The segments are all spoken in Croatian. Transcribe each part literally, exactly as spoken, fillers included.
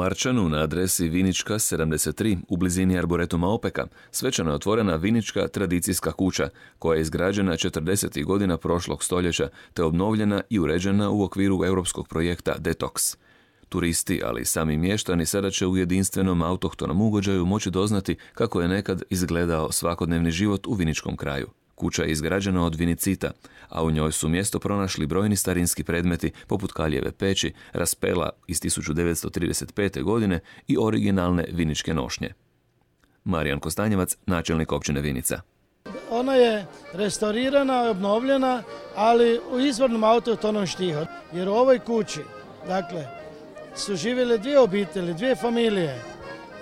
Marčanu na adresi Vinička sedamdeset tri u blizini Arboretuma Opeka svečano je otvorena Vinička tradicijska kuća koja je izgrađena četrdesetih godina prošlog stoljeća te obnovljena i uređena u okviru europskog projekta Detox. Turisti, ali i sami mještani sada će u jedinstvenom autohtonom ugođaju moći doznati kako je nekad izgledao svakodnevni život u viničkom kraju. Kuća je izgrađena od vinicita, a u njoj su mjesto pronašli brojni starinski predmeti poput kaljeve peći, raspela iz tisuću devetsto trideset pete. godine i originalne viničke nošnje. Marijan Kostanjevac, načelnik općine Vinica. Ona je restaurirana, obnovljena, ali u izvornom autohtonom štihu. Jer u ovoj kući, dakle, su živjele dvije obitelji, dvije familije.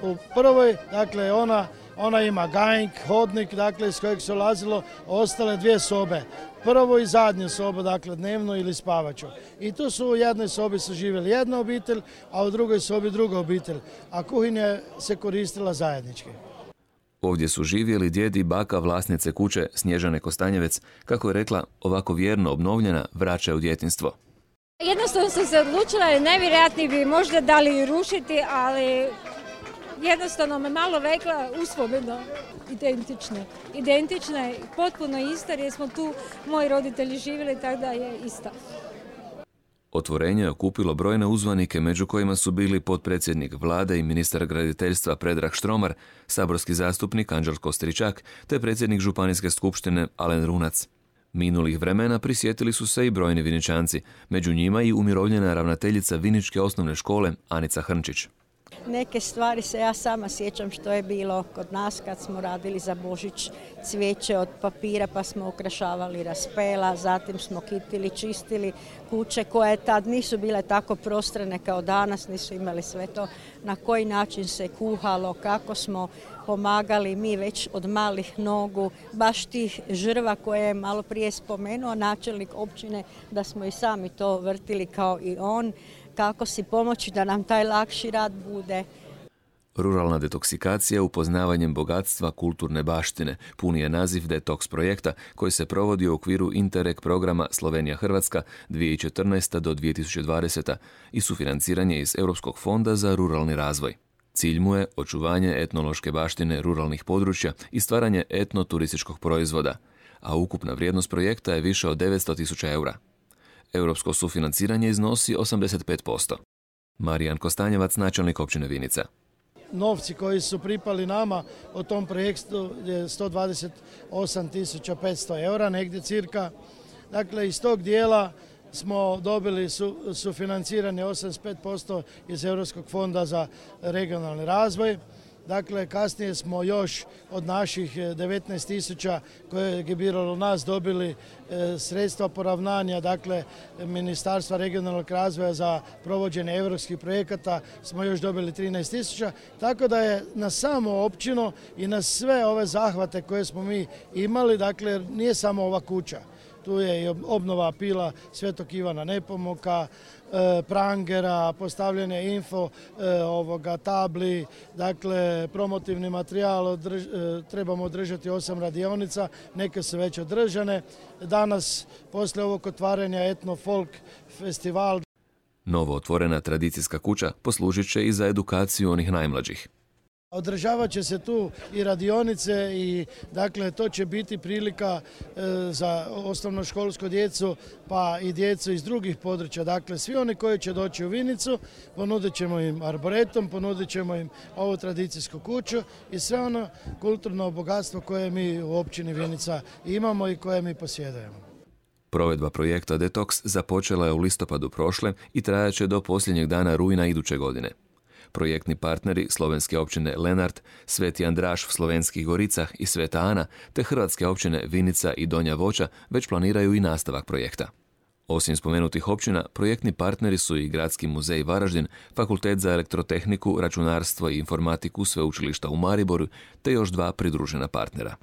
U prvoj, dakle, ona Ona ima gajnik, hodnik, dakle, iz kojeg se ulazilo, ostale dvije sobe. Prvo i zadnju sobu, dakle, dnevnu ili spavaču. I tu su u jednoj sobi su živjeli jedna obitelj, a u drugoj sobi druga obitelj. A kuhinja se koristila zajednički. Ovdje su živjeli djed i baka vlasnice kuće Snježane Kostanjevec, kako je rekla, ovako vjerno obnovljena vraća u djetinjstvo. Jednostavno sam se odlučila, jer nevjerojatni bi možda dali rušiti, ali jednostavno me malo vekla uspomena, identične. Identične, potpuno ista, jer smo tu moji roditelji živjeli, tako da je ista. Otvorenje je okupilo brojne uzvanike, među kojima su bili potpredsjednik vlade i ministar graditeljstva Predrag Štromar, saborski zastupnik Anđelko Stričak, te predsjednik županijske skupštine Alen Runac. Minulih vremena prisjetili su se i brojni Viničanci, među njima i umirovljena ravnateljica Viničke osnovne škole Anica Hrnčić. Neke stvari se ja sama sjećam što je bilo kod nas kad smo radili za Božić cvijeće od papira pa smo ukrašavali raspela, zatim smo kitili, čistili kuće koje tad nisu bile tako prostrane kao danas, nisu imali sve to, na koji način se kuhalo, kako smo pomagali mi već od malih nogu, baš tih žrva koje je malo prije spomenuo načelnik općine, da smo i sami to vrtili kao i on, kako si pomoći da nam taj lakši rad bude. Ruralna detoksikacija upoznavanjem bogatstva kulturne baštine puni je naziv Detox projekta koji se provodi u okviru Interreg programa Slovenija-Hrvatska dvije tisuće četrnaesta do dvije tisuće dvadeseta i sufinanciranje iz Europskog fonda za ruralni razvoj. Cilj mu je očuvanje etnološke baštine ruralnih područja i stvaranje etnoturističkog proizvoda, a ukupna vrijednost projekta je više od devetsto tisuća eura. Europsko sufinanciranje iznosi osamdeset pet posto. Marijan Kostanjevac, načelnik općine Vinica. Novci koji su pripali nama o tom projektu je sto dvadeset osam tisuća petsto eura, negdje cirka. Dakle, iz tog dijela smo dobili su, sufinanciranje osamdeset pet posto iz Europskog fonda za regionalni razvoj. Dakle, kasnije smo još od naših devetnaest tisuća koje je biralo nas dobili e, sredstva poravnanja, dakle, Ministarstva regionalnog razvoja za provođenje europskih projekata smo još dobili trinaest tisuća, tako da je na samo općinu i na sve ove zahvate koje smo mi imali, dakle, nije samo ova kuća. Tu je i obnova pila Svetog Ivana Nepomuka, e, prangera, postavljanje info e, ovoga, tabli, dakle promotivni materijal, održ, e, trebamo održati osam radionica, neke su već održane. Danas, poslije ovog otvaranja Etno Folk festival. Novo otvorena tradicijska kuća poslužit će i za edukaciju onih najmlađih. Održavat će se tu i radionice i dakle to će biti prilika e, za osnovnoškolsku djecu pa i djecu iz drugih područja. Dakle, svi oni koji će doći u Vinicu ponudit ćemo im arboretum, ponudit ćemo im ovu tradicijsku kuću i sve ono kulturno bogatstvo koje mi u općini Vinica imamo i koje mi posjedujemo. Provedba projekta Detox započela je u listopadu prošle i trajaće do posljednjeg dana rujna iduće godine. Projektni partneri slovenske općine Lenart, Sveti Andraš v Slovenskih Goricah i Sveta Ana, te hrvatske općine Vinica i Donja Voća već planiraju i nastavak projekta. Osim spomenutih općina, projektni partneri su i Gradski muzej Varaždin, Fakultet za elektrotehniku, računarstvo i informatiku Sveučilišta u Mariboru, te još dva pridružena partnera.